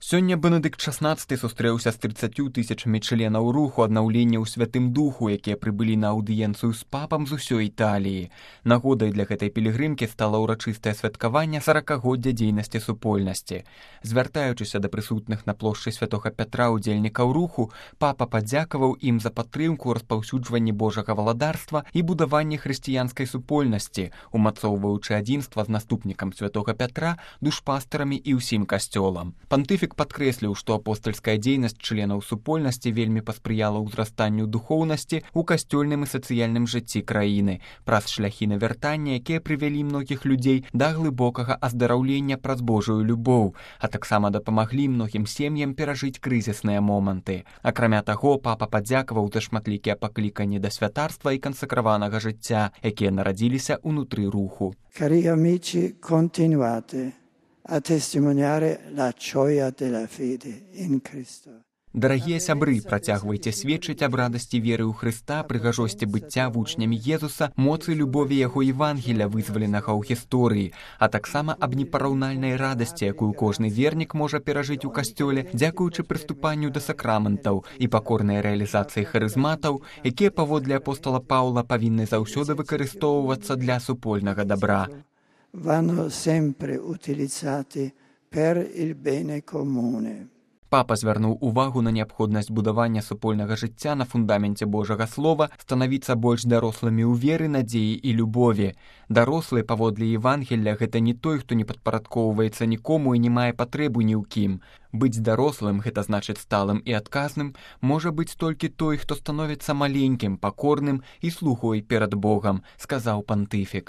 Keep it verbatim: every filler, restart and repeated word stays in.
Сёння Бенедыкт шаснаццаты сустрэўся з трыццаццю тысячамі членаў руху аднаўлення ў Святым Духу, якія прыбылі на аўдыенцыю з папам з усёй Італіі. Нагодай для гэтай пілігрымкі стала ўрачыстае святкаванне саракагоддзя дзейнасці супольнасці. Звяртаючыся да прысутных на плошчы Святога Пятра удзельнікаў руху, папа падзякаваў ім за падтрымку ў распаўсюджванні Божага валадарства і будаванні хрысціянскай супольнасці, умацоўваючы адзінства з наступнікам Святога Пятра, душпастарамі і ўсім касцёлам. Пантыфік падкрэсліў, што апостальская дзейнасць членаў супольнасці вельмі паспрыяла ўзрастанню духоўнасці ў касцёльным і сацыяльным жыцці краіны праз шляхі навяртання, якія прывялі многіх людзей да глыбокага аздараўлення праз Божую любоў, а таксама дапамаглі многім сем'ям перажыць крызісныя моманты. Акрамя таго, папа падзякаваў за шматлікія пакліканні да святарства і кансакраванага жыцця, якія нарадзіліся ўнутры руху. Cari amici, continuate a testimoniare la gioia della fede in Cristo. Дарагія сябры, працягвайце сведчыць аб радасці веры ў Хрыста, прыгажосці быцця вучнямі Езуса, моцы любові яго Евангеля, вызваленага ў гісторыі, а таксама аб непараўнальнай радасці, якую кожны вернік можа перажыць у касцёле, дзякуючы прыступанню да сакраментаў і пакорнай рэалізацыі харызматаў, якія паводле апостола Паўла павінны заўсёды выкарыстоўвацца для супольнага дабра. Vanno sempre utilizzati per il bene comune. Папа звярнуў увагу на неабходнасць будавання супольнага жыцця на фундаменце Божага Слова, станавіцца больш дарослымі ў веры, надзеі і любові. Дарослы, паводле Евангелля, гэта не той, хто не падпарадкоўваецца нікому і не мае патрэбу ні ў кім. Быць дарослым, гэта значыць сталым і адказным, можа быць толькі той, хто становіцца маленькім, пакорным і слугой перад Богам, сказаў пантыфік.